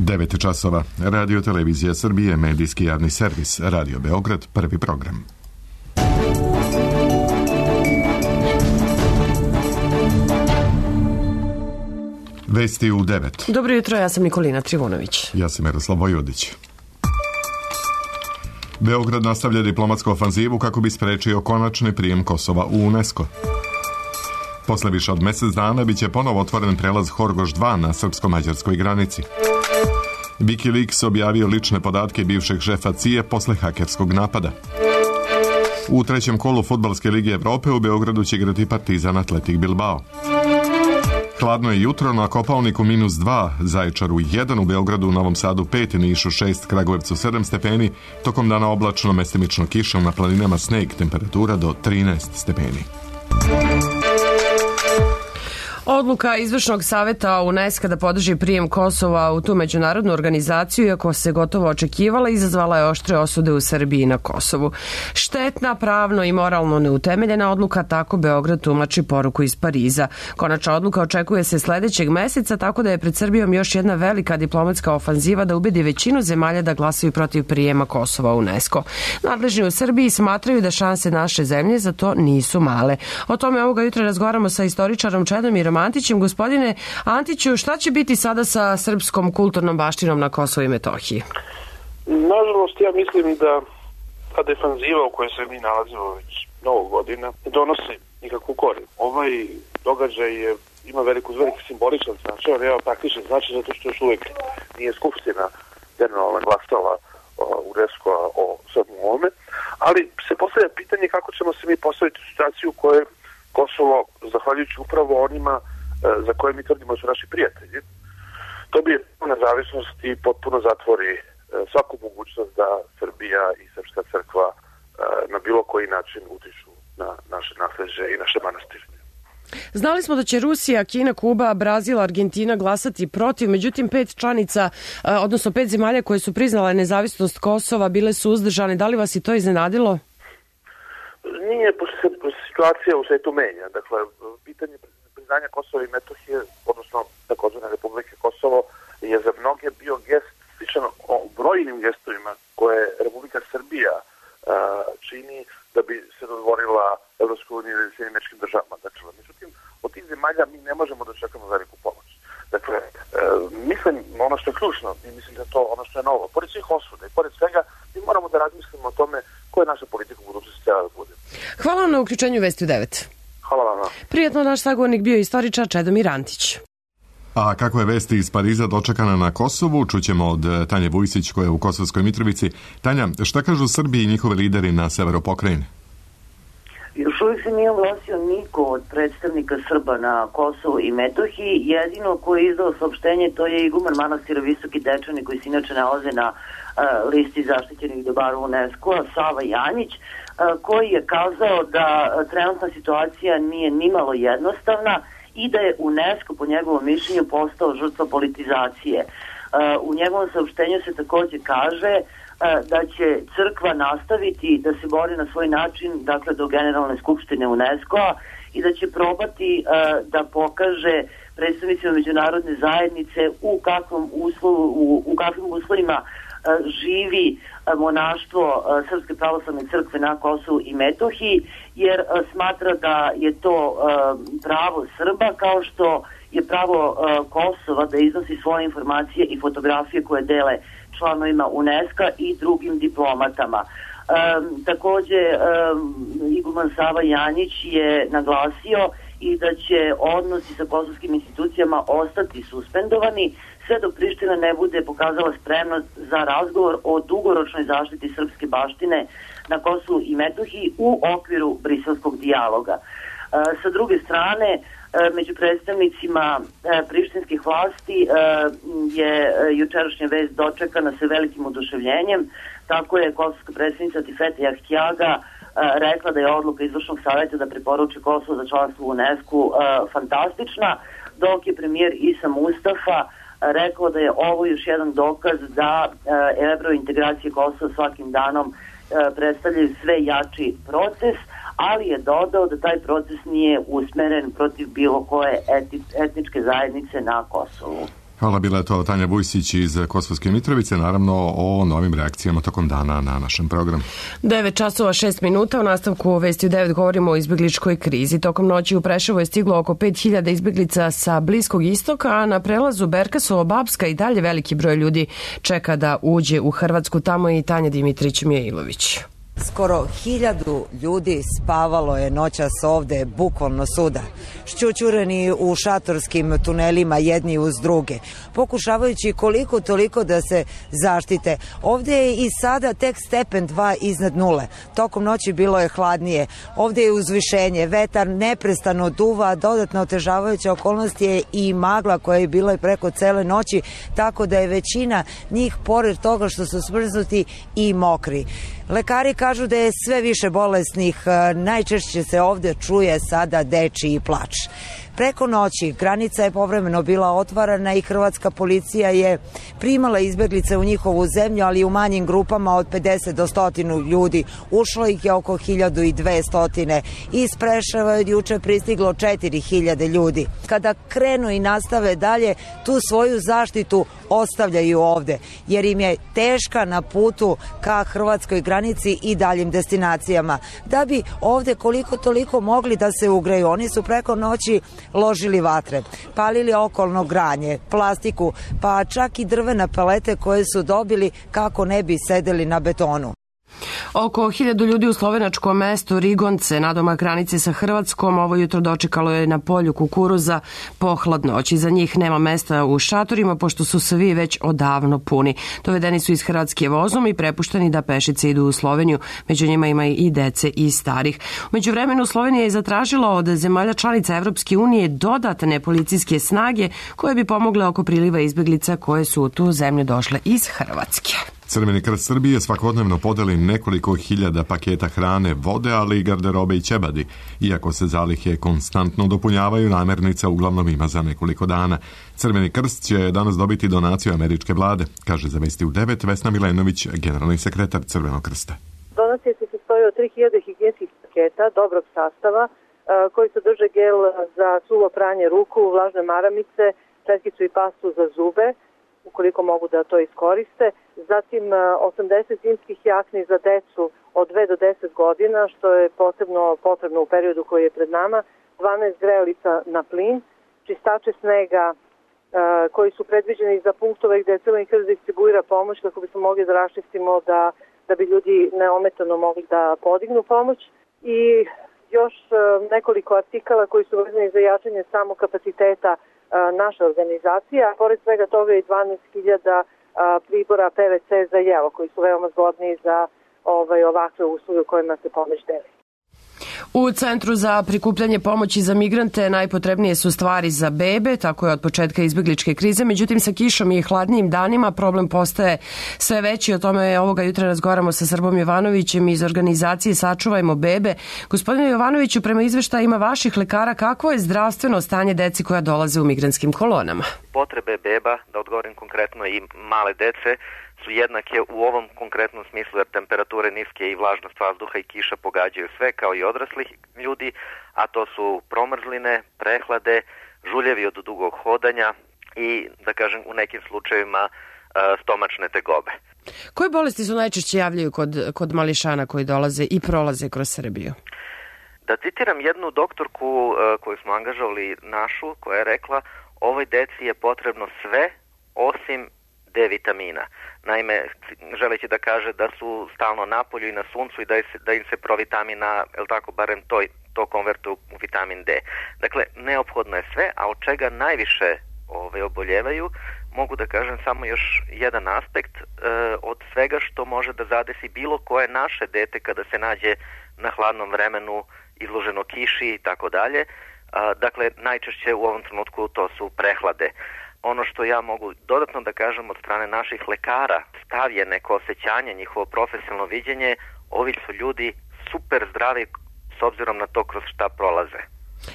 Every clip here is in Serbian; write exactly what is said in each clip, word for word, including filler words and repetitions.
devet časova. Radio Televizija Srbije, medijski javni servis, Radio Beograd, prvi program. Vesti u devet. Dobro jutro, ja sam Nikolina Trivunović. Ja sam Miroslav Vojvodić. Beograd nastavlja diplomatsku ofanzivu kako bi sprečio konačni prijem Kosova u UNESCO. Posle više od mesec dana biće ponovo otvoren prelaz Horgoš dva na srpsko-mađarskoj granici. Wikileaks objavio lične podatke bivšeg šefa C I A posle hakerskog napada. U trećem kolu Fudbalske lige Evrope u Beogradu će igrati Partizan Atletik Bilbao. Hladno je jutro, na Kopaoniku minus dva, Zaječaru jedan, u Beogradu, Novom Sadu pet, Nišu šest, Kragujevcu sedam stepeni, tokom dana oblačno, mestimično kiša, na planinama sneg, temperatura do trinaest stepeni. Odluka Izvršnog saveta UNESCO da podrži prijem Kosova u tu međunarodnu organizaciju, iako se gotovo očekivala, izazvala je oštre osude u Srbiji na Kosovu. Štetna, pravno i moralno neutemeljena odluka, tako Beograd tumači poruku iz Pariza. Konačna odluka očekuje se sledećeg meseca, tako da je pred Srbijom još jedna velika diplomatska ofanziva da ubedi većinu zemalja da glasaju protiv prijema Kosova u UNESCO. Nadležni u Srbiji smatraju da šanse naše zemlje za to nisu male. O tome ovoga jutra razgovaramo sa istoričarom Čedomirom Antićem. Gospodine Antiću, šta će biti sada sa srpskom kulturnom baštinom na Kosovu i Metohiji? Nažalost, ja mislim da ta defanziva u kojoj se mi nalazimo već mnogo godina ne donosi nikakvu korist. Ovaj događaj je, ima veliku, veliki simboličan značaj, ali evo praktičan značaj zato što još uvijek nije Skupština generalno glasala UNESCO o svemu ovome, ali se postavlja pitanje kako ćemo se mi postaviti u situaciju u kojoj Kosovo, zahvaljujući upravo onima za koje mi tvrdimo su naši prijatelji, to bi nezavisnost i potpuno zatvori svaku mogućnost da Srbija i Srpska crkva na bilo koji način utiču na naše nasleđe i naše manastire. Znali smo da će Rusija, Kina, Kuba, Brazil, Argentina glasati protiv, međutim pet članica, odnosno pet zemalja koje su priznale nezavisnost Kosova bile su uzdržane. Da li vas i to iznenadilo? Nije, pošto se situacija u svetu menja. Dakle, pitanje priznanja Kosova i Metohije, odnosno takozvane Republike Kosovo, je za mnoge bio gest sličan o brojnim gestovima koje Republika Srbija uh, čini da bi se dodvorila Evropskoj uniji ili Sjedinjenim Američkim Državama. Dakle, međutim, od tih zemalja mi ne možemo da čekamo veliku pomoć. Dakle, uh, mislim, ono što je ključno, i mislim da je to ono što je novo, pored svih osuda i pored svega, mi moramo da razmislimo o tome koja je naša politika u budućnosti treba da bude. Hvala vam na uključenju Vesti u devet. Hvala vam. Prijetno, naš sagovornik bio istoričar Čedomir Antić. A kako je vesti iz Pariza dočekana na Kosovu, čućemo od Tanje Vujsić koja je u Kosovskoj Mitrovici. Tanja, šta kažu Srbi i njihovi lideri na severu pokrajine? Još uvijek se nije oglasio niko od predstavnika Srba na Kosovu i Metohiji. Jedino koji je izdao saopštenje to je iguman manastira Visoki Dečani, koji se inače nalaze na uh, listi zaštićenih dobara UNESCO-a, Sava Janjić, uh, koji je kazao da uh, trenutna situacija nije nimalo jednostavna i da je UNESCO po njegovom mišljenju postao žrtva politizacije. Uh, u njegovom saopštenju se također kaže da će crkva nastaviti da se bori na svoj način, dakle do Generalne skupštine UNESCO-a, i da će probati uh, da pokaže predstavnicima međunarodne zajednice u kakvom uslovu, u, u kakvim uslovima uh, živi uh, monaštvo uh, Srpske pravoslavne crkve na Kosovu i Metohiji, jer uh, smatra da je to uh, pravo Srba, kao što je pravo uh, Kosova da iznosi svoje informacije i fotografije koje dele članovima UNESCO i drugim diplomatama. Um, također um, iguman Sava Janjić je naglasio i da će odnosi sa kosovskim institucijama ostati suspendovani sve dok Priština ne bude pokazala spremnost za razgovor o dugoročnoj zaštiti srpske baštine na Kosovu i Metohiji u okviru briselskog dijaloga. Uh, sa druge strane, među predstavnicima e, prištinskih vlasti e, je jučerašnja vest dočekana sa velikim oduševljenjem. Tako je kosovska predsjednica Tifete Jahtiaga e, rekla da je odluka Izvršnog savjeta da preporuči Kosovo za članstvo u UNESCO e, fantastična, dok je premijer Isa Mustafa e, rekao da je ovo još jedan dokaz da e, evrointegracije Kosova svakim danom e, predstavljaju sve jači proces, ali je dodao da taj proces nije usmeren protiv bilo koje eti, etničke zajednice na Kosovu. Hvala, bila je to Tanja Vujsić iz Kosovske Mitrovice, naravno o novim reakcijama tokom dana na našem programu. devet časova šest minuta, u nastavku Vesti u devet govorimo o izbjegličkoj krizi. Tokom noći u Preševo je stiglo oko pet hiljada izbjeglica sa Bliskog istoka, a na prelazu Berkasovo-Babska i dalje veliki broj ljudi čeka da uđe u Hrvatsku. Tamo je i Tanja Dimitrić-Mijailović. Skoro hiljadu ljudi spavalo je noćas ovde, bukvalno suda, šćućureni u šatorskim tunelima jedni uz druge, pokušavajući koliko toliko da se zaštite. Ovde je i sada tek stepen dva iznad nule. Tokom noći bilo je hladnije. Ovde je uzvišenje, vetar neprestano duva, dodatno otežavajuća okolnost je i magla koja je bila preko cele noći, tako da je većina njih, pored toga što su smrznuti, i mokri. Lekari kažu da je sve više bolesnih, najčešće se ovde čuje sada dečiji plač. Preko noći granica je povremeno bila otvarana i hrvatska policija je primala izbeglice u njihovu zemlju, ali u manjim grupama od pedeset do sto ljudi. Ušlo ih je oko hiljadu dvesta. Iz Preševa je juče pristiglo četiri hiljade ljudi. Kada krenu i nastave dalje, tu svoju zaštitu ostavljaju ovde, jer im je teška na putu ka hrvatskoj granici i daljim destinacijama. Da bi ovde koliko toliko mogli da se ugreju, oni su preko noći ložili vatre, palili okolno granje, plastiku, pa čak i drvene palete koje su dobili kako ne bi sedeli na betonu. Oko hiljadu ljudi u slovenačkom mestu Rigonce, nadomak granice sa Hrvatskom, ovo jutro dočekalo je na polju kukuruza pohladno noć. Za njih nema mesta u šatorima, pošto su svi već odavno puni. Dovedeni su iz Hrvatske vozom i prepušteni da pešice idu u Sloveniju. Među njima ima i dece i starih. Umeđu vremenu Slovenija je zatražila od zemalja članica Evropske unije dodatne policijske snage koje bi pomogle oko priliva izbjeglica koje su u tu zemlju došle iz Hrvatske. Crveni krst Srbije svakodnevno podeli nekoliko hiljada paketa hrane, vode, ali i garderobe i ćebadi. Iako se zalihe konstantno dopunjavaju, namirnica uglavnom ima za nekoliko dana. Crveni krst će danas dobiti donaciju američke vlade, kaže za Vesti u devet Vesna Milenović, generalni sekretar Crvenog krsta. Donacija se sastoji od tri hiljade higijenskih paketa dobrog sastava koji sadrže gel za suvo pranje ruku, vlažne maramice, četkicu i pastu za zube, ukoliko mogu da to iskoriste. Zatim osamdeset zimskih jakni za decu od dve do deset godina, što je posebno potrebno u periodu koji je pred nama, dvanaest grejalica na plin, čistače snega koji su predviđeni za punktove gde je Crveni krst distribuira pomoć kako bismo mogli da raščistimo da, da bi ljudi neometano mogli da podignu pomoć, i još nekoliko artikala koji su vezani za jačanje samog kapaciteta naša organizacija, a pored svega toga je dvanaest hiljada pribora P V C za jelo, koji su veoma zgodni za ovaj, ovakve usluge u kojima se pomoć deli. U Centru za prikupljanje pomoći za migrante najpotrebnije su stvari za bebe, tako je od početka izbjegličke krize, međutim sa kišom i hladnijim danima problem postaje sve veći. O tome ovoga jutra razgovaramo sa Srbom Jovanovićem iz organizacije Sačuvajmo bebe. Gospodine Jovanoviću, prema izveštajima vaših lekara, kakvo je zdravstveno stanje deci koja dolaze u migrantskim kolonama? Potrebe beba, da odgovorim konkretno, i male dece su jednake u ovom konkretnom smislu, jer temperature niske i vlažnost vazduha i kiša pogađaju sve kao i odraslih ljudi, a to su promrzline, prehlade, žuljevi od dugog hodanja i, da kažem, u nekim slučajevima stomačne tegobe. Koje bolesti su najčešće javljaju kod, kod mališana koji dolaze i prolaze kroz Srbiju? Da citiram jednu doktorku koju smo angažovali našu, koja je rekla: ovoj deci je potrebno sve osim D vitamina. Naime, želeći da kaže da su stalno na polju i na suncu i da, se, da im se provitamina, el tako, barem to, to konvertuje u vitamin D. Dakle, neophodno je sve, a od čega najviše ove, oboljevaju, mogu da kažem samo još jedan aspekt e, od svega što može da zadesi bilo koje naše dete kada se nađe na hladnom vremenu, izloženo kiši i tako dalje. Dakle, najčešće u ovom trenutku to su prehlade. Ono što ja mogu dodatno da kažem od strane naših lekara, stav je neko osjećanje, njihovo profesionalno viđenje, ovi su ljudi super zdravi s obzirom na to kroz šta prolaze.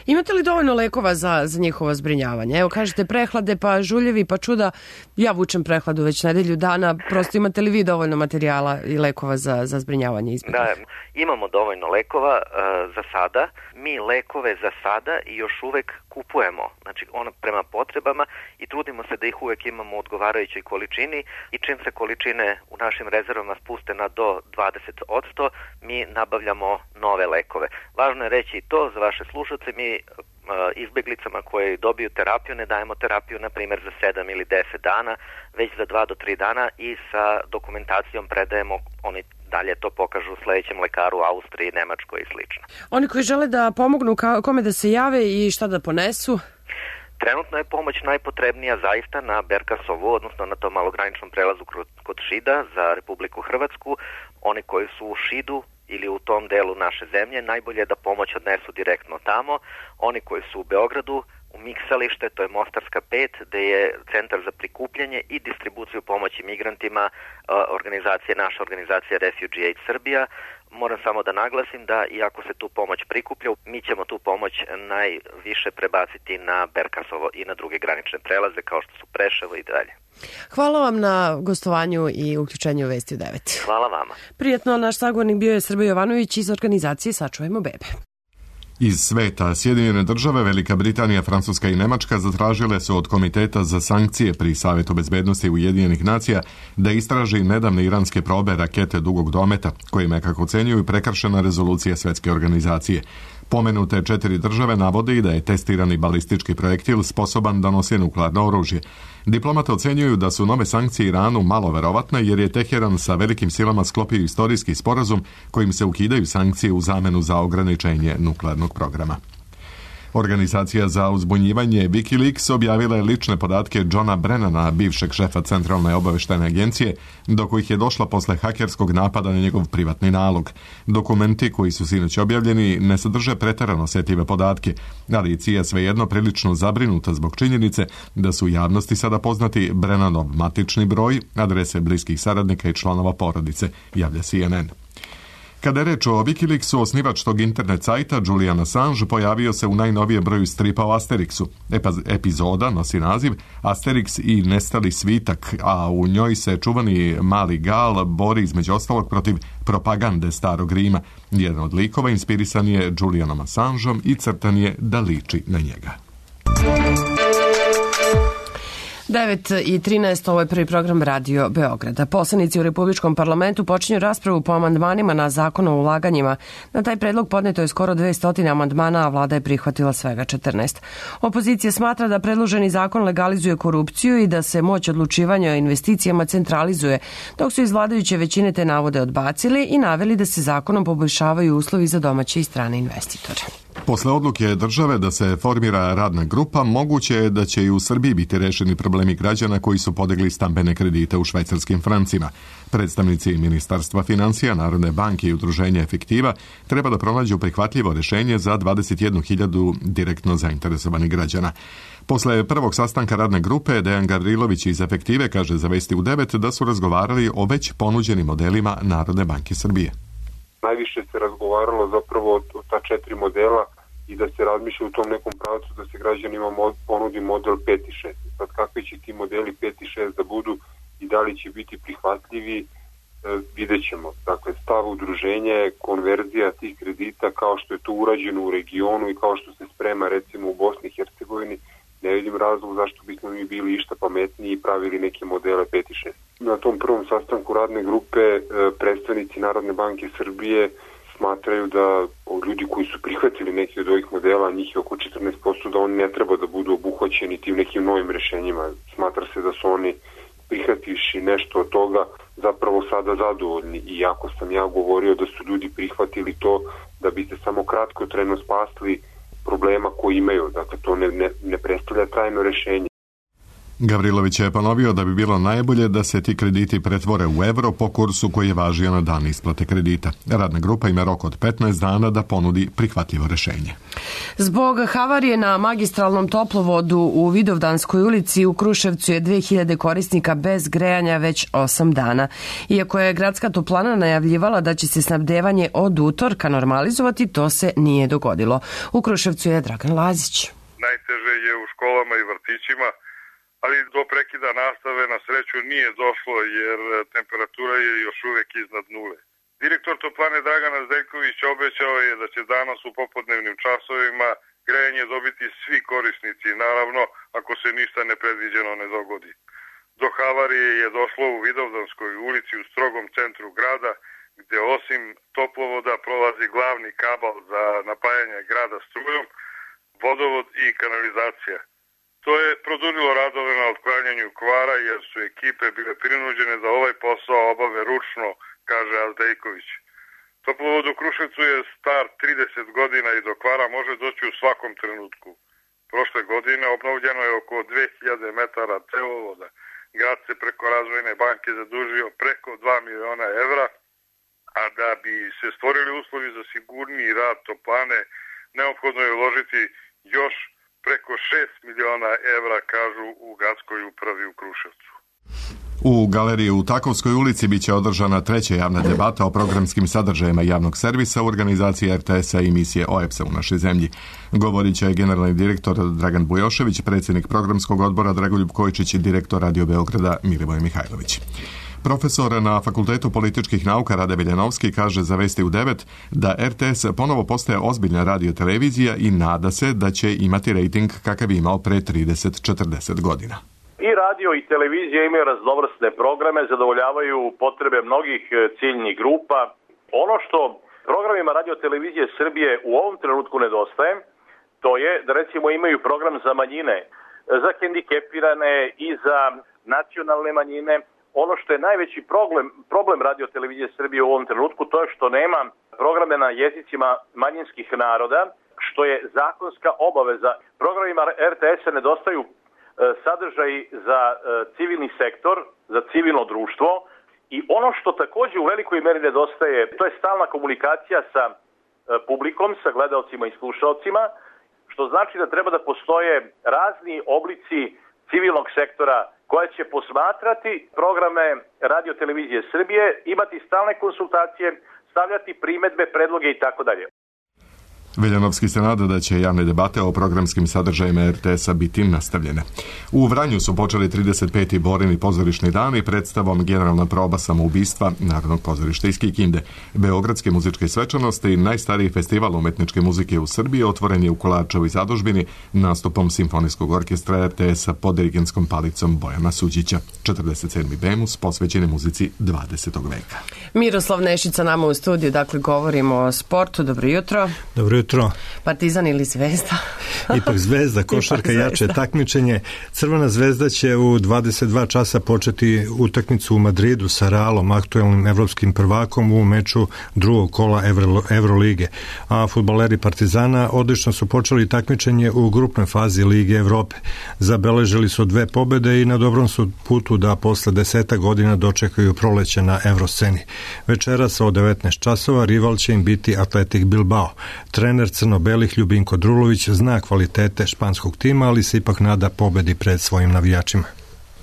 Imate li dovoljno lekova za, za njihovo zbrinjavanje? Evo, kažete prehlade, pa žuljevi, pa čuda. Ja vučem prehladu već nedelju dana. Prosto imate li vi dovoljno materijala i lekova za, za zbrinjavanje izbjeglica? Da, imamo dovoljno lekova uh, za sada. Mi lekove za sada i još uvek kupujemo, znači ono prema potrebama i trudimo se da ih uvek imamo u odgovarajućoj količini i čim se količine u našim rezervama spuste na do dvadeset posto, mi nabavljamo nove lekove. Važno je reći i to za vaše slušalce, mi izbeglicama koje dobiju terapiju ne dajemo terapiju na primjer za sedam ili deset dana, već za dva do tri dana i sa dokumentacijom predajemo, oni dalje to pokažu u sledećem lekaru u Austriji, Nemačkoj i slično. Oni koji žele da pomognu, kome da se jave i šta da ponesu? Trenutno je pomoć najpotrebnija zaista na Berkasovu, odnosno na tom malograničnom prelazu kod Šida za Republiku Hrvatsku. Oni koji su u Šidu ili u tom delu naše zemlje, najbolje je da pomoć odnesu direktno tamo. Oni koji su u Beogradu, u Miksalište, to je Mostarska pet, gde je centar za prikupljanje i distribuciju pomoći migrantima, organizacije, naša organizacija Refugee Aid Srbija. Moram samo da naglasim da iako se tu pomoć prikuplja, mi ćemo tu pomoć najviše prebaciti na Berkasovo i na druge granične prelaze kao što su Preševo i dalje. Hvala vam na gostovanju i uključenju u Vesti u devet. Hvala vama. Prijetno, naš sagovornik bio je Srbe Jovanović iz organizacije Sačuvajmo bebe. Iz sveta, Sjedinjene države, Velika Britanija, Francuska i Nemačka zatražile su od Komiteta za sankcije pri Savetu bezbednosti Ujedinjenih nacija da istraži nedavne iranske probe rakete dugog dometa, kojima je, kako ocenjuju, prekršena rezolucija Svetske organizacije. Pomenute četiri države navode i da je testirani balistički projektil sposoban da nosi nuklearno oružje. Diplomate ocenjuju da su nove sankcije Iranu malo verovatne jer je Teheran sa velikim silama sklopio istorijski sporazum kojim se ukidaju sankcije u zamenu za ograničenje nuklearnog programa. Organizacija za uzbunjivanje Wikileaks objavila je lične podatke Johna Brennana, bivšeg šefa Centralne obaveštajne agencije, do kojih je došla posle hakerskog napada na njegov privatni nalog. Dokumenti koji su sinoć objavljeni ne sadrže preterano osetljive podatke, ali je C I A svejedno prilično zabrinuta zbog činjenice da su u javnosti sada poznati Brennanov matični broj, adrese bliskih saradnika i članova porodice, javlja C N N. Kada je reč o Wikileaksu, osnivač tog internet sajta Julian Assange pojavio se u najnovije broju stripa o Asterixu. Epizoda nosi naziv Asterix i nestali svitak, a u njoj se čuvani mali Gal bori između ostalog protiv propagande starog Rima. Jedan od likova inspirisan je Julianom Assangeom i crtan je da liči na njega. devet i trinaest, ovo je prvi program Radio Beograda. Poslanici u Republičkom parlamentu počinju raspravu po amandmanima na zakon o ulaganjima. Na taj predlog podneto je skoro dvesta amandmana, a vlada je prihvatila svega četrnaest. Opozicija smatra da predloženi zakon legalizuje korupciju i da se moć odlučivanja o investicijama centralizuje, dok su iz vladajuće većine te navode odbacili i naveli da se zakonom poboljšavaju uslovi za domaće i strane investitore. Posle odluke države da se formira radna grupa, moguće je da će i u Srbiji biti rešeni problemi građana koji su podigli stambene kredite u švajcarskim francima. Predstavnici Ministarstva financija, Narodne banke i Udruženja Efektiva treba da pronađu prihvatljivo rešenje za dvadeset jednu hiljadu direktno zainteresovanih građana. Posle prvog sastanka radne grupe, Dejan Gavrilović iz Efektive kaže za Vesti u devet da su razgovarali o već ponuđenim modelima Narodne banke Srbije. Najviše se razgovaralo zapravo o ta četiri modela i da se razmišlja u tom nekom pravcu da se građanima ponudi model pet i šest. Sad kakvi će ti modeli pet i šest da budu i da li će biti prihvatljivi, e, vidjet ćemo. Dakle, stav udruženja je konverzija tih kredita kao što je to urađeno u regionu i kao što se sprema recimo u Bosni i Hercegovini. Ne vidim razlog zašto bismo mi bili išta pametniji i pravili neke modele pet i šest. Na tom prvom sastanku radne grupe predstavnici Narodne banke Srbije smatraju da ljudi koji su prihvatili neki od ovih modela, njih je oko četrnaest posto, da oni ne treba da budu obuhvaćeni tim nekim novim rešenjima. Smatra se da su oni prihvativši nešto od toga zapravo sada zadovoljni, iako sam ja govorio da su ljudi prihvatili to da bi se samo kratko trajno spasli problema koji imaju. Dakle, to ne, ne, ne predstavlja trajno rešenje. Gavrilović je ponovio da bi bilo najbolje da se ti krediti pretvore u evro po kursu koji je važio na dan isplate kredita. Radna grupa ima rok od petnaest dana da ponudi prihvatljivo rešenje. Zbog havarije na magistralnom toplovodu u Vidovdanskoj ulici u Kruševcu je dve hiljade korisnika bez grejanja već osam dana. Iako je gradska toplana najavljivala da će se snabdevanje od utorka normalizovati, to se nije dogodilo. U Kruševcu je Dragan Lazić. Najteže je u školama i vrtićima, ali do prekida nastave na sreću nije došlo jer temperatura je još uvek iznad nule. Direktor toplane Dragana Zdeljković obećao je da će danas u popodnevnim časovima grejanje dobiti svi korisnici, naravno ako se ništa nepredviđeno ne dogodi. Do havarije je došlo u Vidovdanskoj ulici u strogom centru grada, gde osim toplovoda prolazi glavni kabal za napajanje grada strujom, vodovod i kanalizacija. To je produžilo radove na otklanjanju kvara jer su ekipe bile prinuđene da ovaj posao obave ručno, kaže Azdejković. Toplovod u Kruševcu je star trideset godina i do kvara može doći u svakom trenutku. Prošle godine obnovljeno je oko dve hiljade metara cevovoda. Grad se preko Razvojne banke zadužio preko dva miliona evra, a da bi se stvorili uslovi za sigurniji rad toplane, neophodno je uložiti još preko šest miliona evra, kažu u gradskoj upravi u Kruševcu. U galeriji u Takovskoj ulici biće održana treća javna debata o programskim sadržajima javnog servisa u organizaciji er te es-a i emisije o e pe es-a u našoj zemlji. Govorit će generalni direktor Dragan Bujošević, predsjednik programskog odbora Dragoljub Kojčić i direktor Radio Beograda Milivoj Mihajlović. Profesor na Fakultetu političkih nauka Rade Veljanovski kaže za Vesti u devet da er te es ponovo postaje ozbiljna radiotelevizija i nada se da će imati rejting kakav je imao pre trideset do četrdeset godina. I radio i televizija imaju raznovrsne programe, zadovoljavaju potrebe mnogih ciljnih grupa. Ono što programima radio televizije Srbije u ovom trenutku nedostaje, to je da recimo imaju program za manjine, za hendikepirane i za nacionalne manjine. Ono što je najveći problem, problem radio televizije Srbije u ovom trenutku, to je što nema programe na jezicima manjinskih naroda, što je zakonska obaveza. Programima er te es-a nedostaju sadržaj za civilni sektor, za civilno društvo i ono što također u velikoj meri nedostaje, to je stalna komunikacija sa publikom, sa gledaocima i slušaocima, što znači da treba da postoje razni oblici civilnog sektora koja će posmatrati programe radio televizije Srbije, imati stalne konsultacije, stavljati primedbe, predloge i tako dalje. Veljanovski se nada da će javne debate o programskim sadržajima er te es-a biti nastavljene. U Vranju su počeli trideset peti Borini pozorišni dan i predstavom Generalna proba samoubistva Narodnog pozorišta iz Kikinde. Beogradske muzičke svečanosti, najstariji festival umetničke muzike u Srbiji, otvoren je u Kolarčevoj zadužbini nastupom Simfonijskog orkestra er te es-a pod dirigentskom palicom Bojana Suđića. četrdeset sedmi Bemus posvećen je muzici dvadesetog veka. Miroslav Nešica nama u studiju, dakle govorimo o sportu. Dobro jutro. Dobro jutro. Partizan ili Zvezda? Ipak Zvezda, košarka, Ipak jače takmičenje. Crvena Zvezda će u dvadeset dva časa početi utakmicu u Madridu sa Realom, aktuelnim evropskim prvakom u meču drugog kola Evro, Evrolige. A fudbaleri Partizana odlično su počeli takmičenje u grupnoj fazi Lige Evrope. Zabeležili su dve pobede i na dobrom su putu da posle deseta godina dočekaju proleće na Evrosceni. Večeras od devetnaest časova rival će im biti Atletik Bilbao. Trener crno-belih Ljubinko Drulović zna kvalitete španskog tima, ali se ipak nada pobedi pred svojim navijačima.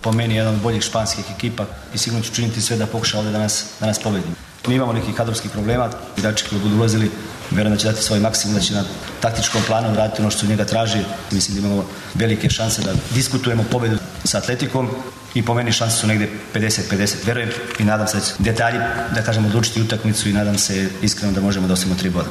Po meni je jedan od boljih španskih ekipa i sigurno ću činiti sve da pokuša ovdje da nas, da nas pobedimo. Mi imamo nekih kadrovskih problema, igrači koji budu ulazili, vjerujem da će dati svoj maksimum, da će na taktičkom planu raditi ono što njega traži. Mislim da imamo velike šanse da diskutujemo pobedu sa Atletikom i po meni šanse su negdje pedeset pedeset. Vjerujem i nadam se da će detalji, da kažemo, odlučiti utakmicu i nadam se iskreno da možemo da osvojimo tri boda.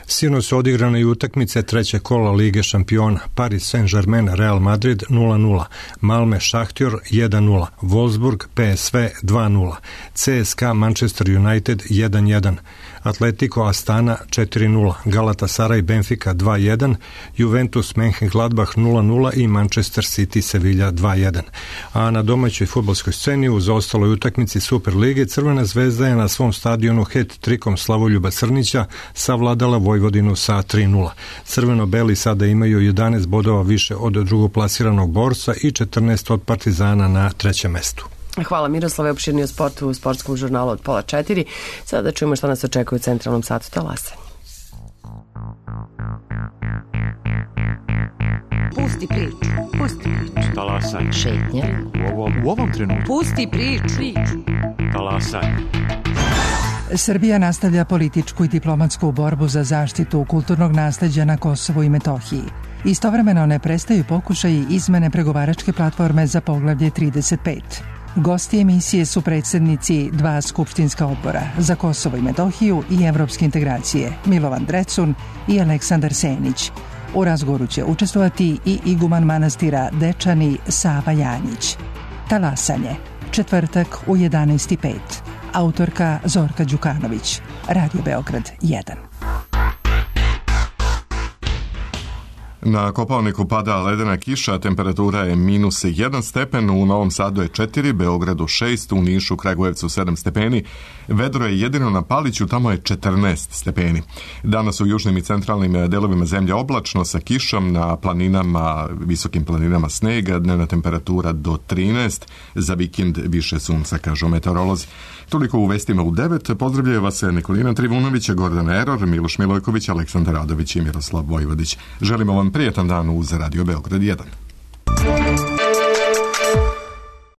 Sinoć su odigrane i utakmice trećeg kola Lige šampiona. Paris Saint-Germain Real Madrid nula nula, Malme Šahtjor jedan nula, Wolfsburg P S V dva nula, C S K A Manchester United jedan jedan, Atletico Astana četiri nula, Galatasaray Benfica dva jedan, Juventus Mönchengladbach nula nula i Manchester City Sevilla dva jedan. A na domaćoj fudbalskoj sceni u zaostaloj utakmici Super lige Crvena Zvezda je na svom stadionu het-trikom Slavoljuba Crnića savladala Vojvodinu sa tri nula. Crveno-beli sada imaju jedanaest bodova više od drugoplasiranog Borca i četrnaest od Partizana na trećem mestu. Hvala Miroslave, opširni o sportu u sportskom žurnalu od pola četiri. Sada da čujemo šta nas očekuje u centralnom satu talasanja. Pusti priču, pusti priču. Talasanje. Šetnja. U ovom, u ovom trenutku. Pusti priču. Talasanje. Srbija nastavlja političku i diplomatsku borbu za zaštitu kulturnog nasleđa na Kosovu i Metohiji. Istovremeno ne prestaju pokušaji izmene pregovaračke platforme za poglavlje trideset pet. Gosti emisije su predsjednici dva skupštinska odbora za Kosovo i Metohiju i evropske integracije, Milovan Drecun i Aleksandar Senić. U razgovoru će učestvovati i iguman manastira Dečani Sava Janjić. Talasanje, četvrtak u jedanaest i pet. Autorka Zorka Đukanović. Radio Beograd jedan. Na Kopaoniku pada ledena kiša, temperatura je minus jedan stepen, u Novom Sadu je četiri, Beogradu šest, u Nišu, Kragujevcu sedam stepeni, vedro je jedino na Paliću, tamo je četrnaest stepeni. Danas u južnim i centralnim delovima zemlje oblačno sa kišom, na planinama, visokim planinama snega, dnevna temperatura do trinaest, za vikend više sunca, kažu meteorolozi. Toliko u vestima u devet, pozdravljaju vas Nikolina Trivunović, Gordana Eror, Miloš Milojković, Aleksandar Radović i Miroslav Vojvodić. Želimo vam prijetan dan uz Radio Beograd jedan.